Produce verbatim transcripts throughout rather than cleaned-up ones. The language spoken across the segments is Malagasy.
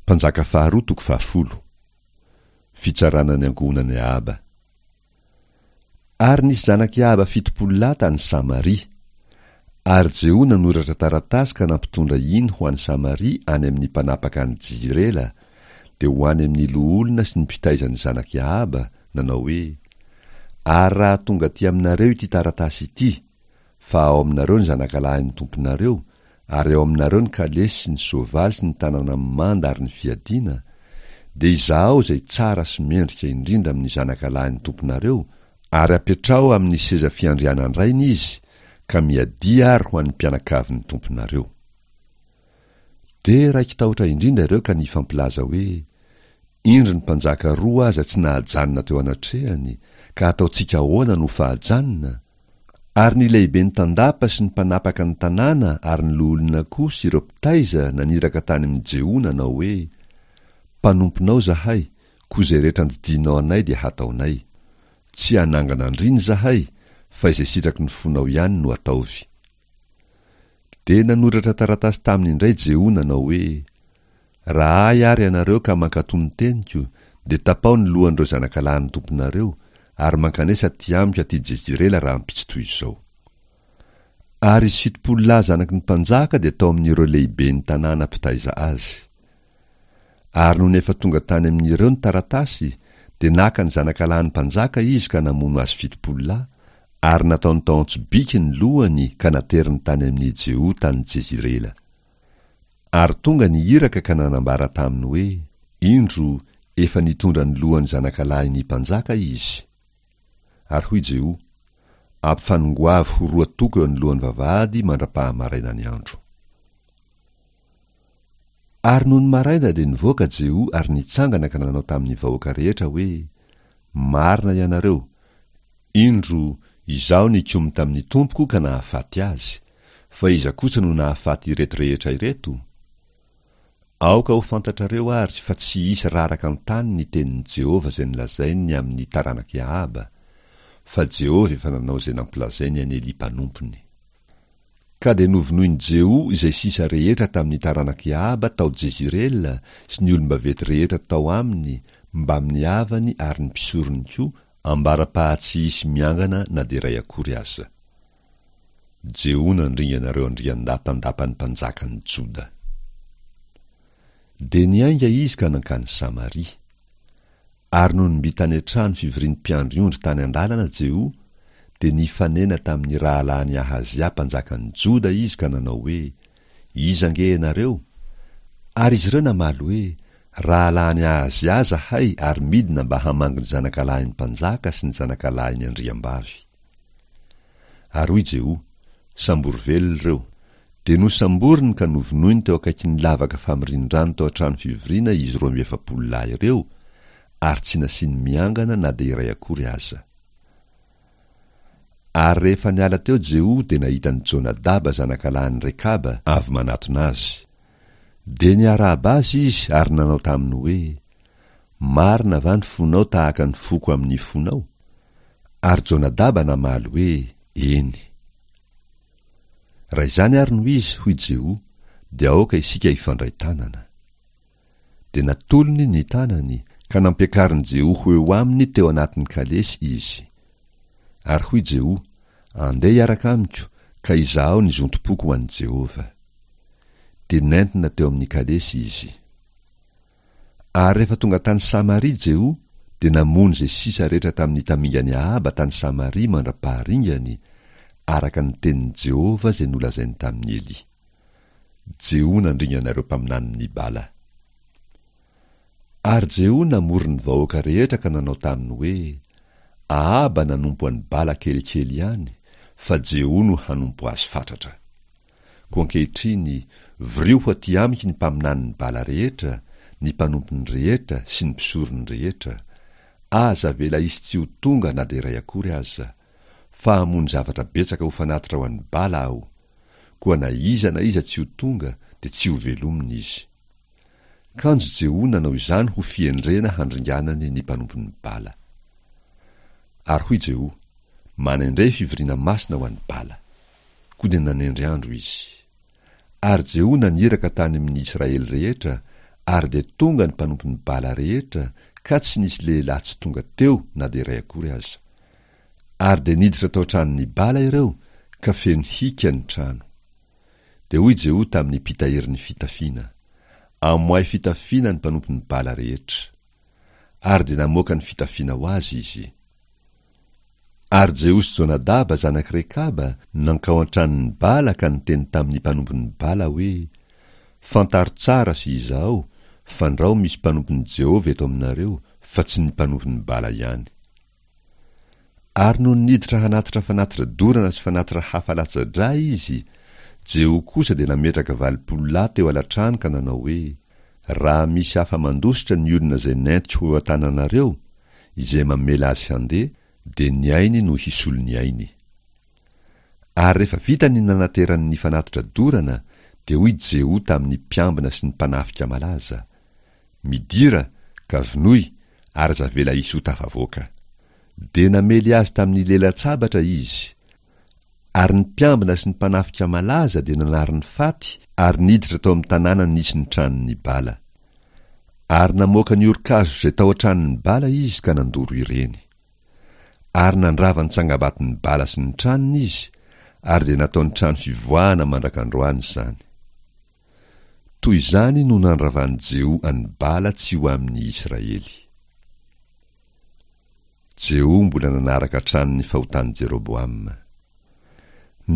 Mpanjaka faharoa toko fahafolo. Fitsarana ny ankohonan'i Ahaba. Ary nisy zanak'i Ahaba fitopolo lahy tany Samaria. Ary Jeho nanoratra taratasy ka nampitondra iny ho any Samaria any amin'ny mpanapaka any Jizirela, dia ho any amin'ny loholona sy ny mpitaiza ny zanak'i Ahaba, nanao hoe, Ary raha tonga aty aminareo ity taratasy ity, fa ao aminareo ny zanakalahin'ny tomponareo, ary ao aminareo ny kalesy sy ny soavaly sy ny tanàna mimanda ary ny fiadiana, dia izahao izay tsara sy mendrika indrindra amin'ny zanakalahin'ny tomponareo, ary apetraho amin'ny seza fiandrianan-drainy izy, ka miadia ary ho an'ny mpianakavin'ny tomponareo. Dia raiki-tahotra indrindra ireo ka nifampilaza hoe, Indro ny mpanjaka roa aza tsy nahajanona teo anatrehany, ka ataontsika ahoana no fahajanona? Ary ny lehiben'ny tandapa sy ny mpanapaka ny tanàna ary ny loholona koa sy ireo mpitaiza naniraka tany amin'i Jeho nanao hoe, Mpanomponao izahay, koa izay rehetra andidianao anay dia hataonay. Tsy hanangana andriana izahay, fa izay sitraky ny fonao ihany no ataovy. Dia nanoratra taratasy taminy indray Jeho nanao hoe, Raha ahy àry ianareo ka mankatò ny teniko, dia tapaho ny lohan'ireo zanakalahin'ny tomponareo, ary mankanesa aty amiko aty Jezirela rahampitso toy izao. Ary izy fitopolo lahy zanaky ny mpanjaka dia tao amin'ireo lehiben'ny tanàna mpitaiza azy. Ary nony efa tonga tany amin'ireo ny taratasy, dia naka ny zanakalahin'ny mpanjaka izy ka namono azy fitopolo lahy, ary nataony tao an-tsobiky ny lohany ka nateriny tany amin'i Jeho tany Jezirela. Ary tonga ny iraka ka nanambara taminy hoe, Indro, efa nitondra ny lohan'ny zanakalahin'ny mpanjaka izy. Ary hoy Jeho, Ampifanongoavy ho roa toko eo anoloan'ny vavahady mandra-pahamaraina ny andro. Ary nony maraina dia nivoaka Jeho ary nitsangana ka nanao tamin'ny vahoaka rehetra hoe, Marina ianareo, indro, izaho nikomy tamin'ny tompoko ka nahafaty azy, fa iza kosa no nahafaty ireto rehetra ireto? Aoka ho fantatrareo àry fa tsy hisy raraka an-tany ny tenin'i Jehovah izay nolazainy ny amin'ny taranak'i Ahaba, fa Jehovah efa nanao izay nampilazainy an'i Elia mpanompony. Ka dia novonoin'i Jeho izay sisa rehetra tamin'ny taranak'i Ahaba tao Jezirela sy ny olom-baventy rehetra tao aminy mbamin'ny havany ary ny mpisorony koa, ambara-paha-tsy hisy miangana na dia iray akory aza. Jeho nandringana ireo andriandahy tandapan'ny mpanjakan'i Joda. Dia niainga izy ka nankany Samaria. Ary nony mby tany an-trano fivorian'ny mpiandry ondry tany an-dalana Jeho, dia nifanena tamin'ny rahalahin'i Ahazia mpanjakan'i Joda izy ka nanao hoe, Iza ange ianareo? Ary izy ireo namaly hoe, Rahalahin'i Ahazia izahay ary midina mba hamangy ny zanakalahin'ny mpanjaka sy ny zanakalahin'ny andriambavy. Ary hoy Jeho, Sambory velona ireo. Dia nosamboriny ka novonoiny teo akaikin'ny lavaka famorian-drano tao an-trano fivoriana izy roa amby efapolo lahy ireo, ary tsy nasiany miangana na dia iray akory aza. Ary rehefa niala teo Jeho dia nahita an'i Jonadaba zanakalahin'i Rekaba avy manatona azy. Dia niarahaba azy izy ary nanao taminy hoe, Marina va ny fonao tahaka ny foko amin'ny fonao? Ary Jonadaba namaly hoe, Eny. Raha izany àry no izy, hoy Jeho, dia aoka isika hifandray tanana. Dia natolony ny tanany, ka nampiakarin'i Jeho ho eo aminy teo anatin'ny kalesy izy. Ary hoy Jeho, Andeha hiaraka amiko, ka izahao ny zontom-poko ho an'i Jehovah. Dia nentina teo amin'ny kalesy izy. Ary rehefa tonga tany Samaria Jeho, dia namono izay sisa rehetra tamin'ny tamingan'i Ahaba tany Samaria mandra-paharingany, araka ny tenin'i Jehovah izay nolazainy tamin'i Elia. Jeho nandringana ireo mpaminanin'i Bala. Ary Jeho namory ny vahoaka rehetra ka nanao taminy hoe, Ahaba nanompo an'i Bala kelikely ihany, fa Jeho no hanompo azy fatratra. Koa ankehitriny, vorio ho aty amiko ny mpaminanin'i Bala rehetra, ny mpanompony rehetra sy ny mpisorony rehetra. Aza avela hisy tsy ho tonga na dia iray akory aza. Fa hamono zavatra betsaka ho fanatitra ho an'i Bala aho. Koa na iza na iza tsy ho tonga, dia tsy hovelomina izy. Kanjo Jeho nanao izany ho fihendrena handringanany ny mpanompon'i Bala. Ary hoy Jeho, Manendre fivoriana masina ho an'i Bala. Koa dia nanendry andro izy. Ary Jeho naniraka tany amin'ny Israely rehetra, Ary dia tonga ny mpanompon'i Bala rehetra, ka tsy nisy lehilahy tsy tonga teo na dia iray akory aza. Ary dia niditra tao an-tranon'i Bala ireo, ka feno hika ny trano. Dia hoy Jeho tamin'ny mpitahiry ny fitafiana, Amoahy fitafiana ny mpanompon'i Bala rehetra. Ary dia namoaka ny fitafiana ho azy izy. Ary Jeho sy Jonadaba zanak'i Rekaba nankao an-tranon'i Bala ka niteny tamin'ny mpanompon'i Bala hoe, Fantaro tsara sy izahao, fandrao misy mpanompon'i Jehovah eto aminareo, fa tsy ny mpanompon'i Bala ihany. Ary nony niditra hanatitra fanatitra dorana sy fanatitra hafa latsa-drà izy, Jeho kosa dia nametraka valopolo lahy teo alatrano ka nanao hoe, Raha misy afa-mandositra ny olona izay nentiko ho eo an-tananareo, izay mamela azy handeha, dia ny ainy no hisolo ny ainy. Ary rehefa vita ny nanaterany ny fanatitra dorana, dia hoy Jeho tamin'ny mpiambina sy ny mpanafika malaza, Midira, ka vonoy, ary aza avela hisy ho tafavoaka. Dia namely azy tamin'ny lelan-tsabatra izy. Ary ny mpiambina sy ny mpanafika malaza dia nanary ny faty ary niditra tao amin'ny tanàna nisy ny tranon'i Bala. Ary namoaka ny orin-kazo izay tao an-tranon'i Bala izy ka nandoro ireny. Ary nandrava ny tsangambaton'i Bala sy ny tranony izy, ary dia nataony trano fivoahana mandrak'androany izany. Toy izany no nandravan'i Jeho an'i Bala tsy ho amin'ny Israely. Jeho mbola nanaraka hatrany ny fahotan'i Jeroboama.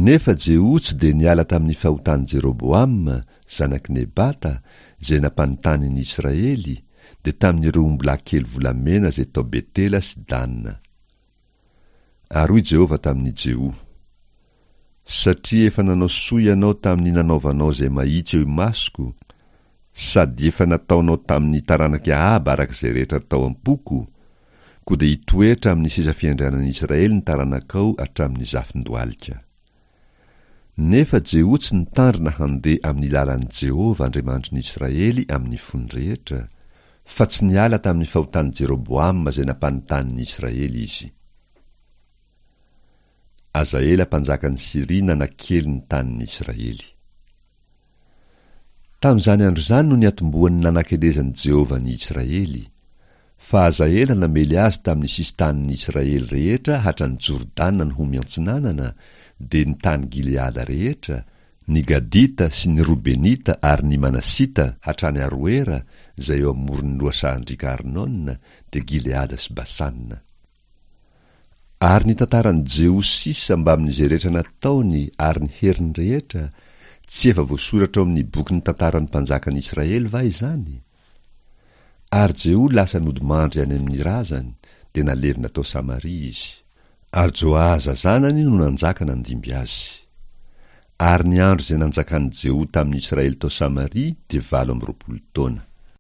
Nefa Jeho tsy dia niala tamin'ny fahotan'i Jeroboama, zanak'i Nebata, izay nampanontany ny Israely, dia tamin'ireo ombilahy kely volamena izay tao Betela sy Dana. Ary hoy Jehovah tamin'i Jeho, Satria efa nanao soa ianao tamin'ny nanaovanao izay mahitsy eo imasoko, sady efa nataonao tamin'ny taranak'i Ahaba araka izay rehetra tao am-poko, koa dia hitoetra amin'ny seza fiandrianan'i Israely ny taranakao hatramin'ny zafin-dohalika. Nefa Jeho tsy nitandrina handeha amin'ny lalan'i Jehovah Andriamanitry ny Israely amin'ny fony rehetra, fa tsy niala tamin'ny fahotan'i Jeroboama izay nampanontany ny Israely izy. Hazaela mpanjakan'i Syria nanakely ny tanin'ny Israely. Tamin'izany andro izany no niatombohan'ny nanakelezan'i Jehovah ny Israely, fa Hazaela namely azy tamin'ny sisin-tanin'ny Israely rehetra hatrany Jordana no ho miantsinanana, dia ny tany Gileada rehetra, ny Gadita sy ny Robenita ary ny Manasita hatrany Aroera izay eo amoron'ny lohasahan-driaka Arnona, dia Gileada sy Basana. Ary ny tantaran'i Jeho sisa mbamin'izay rehetra nataony ary ny heriny rehetra, tsy efa voasoratra ao amin'ny bokin'ny tantaran'ny mpanjakan'ny Israely va izany? Ary Jeho lasa nodimandry any amin'ny razany, dia nalevina tao Samaria izy. Ary Joahaza zanany no nanjaka nandimby azy. Ary ny andro izay nanjakan'i Jeho tamin'ny Israely tao Samaria dia valo amby roapolo taona.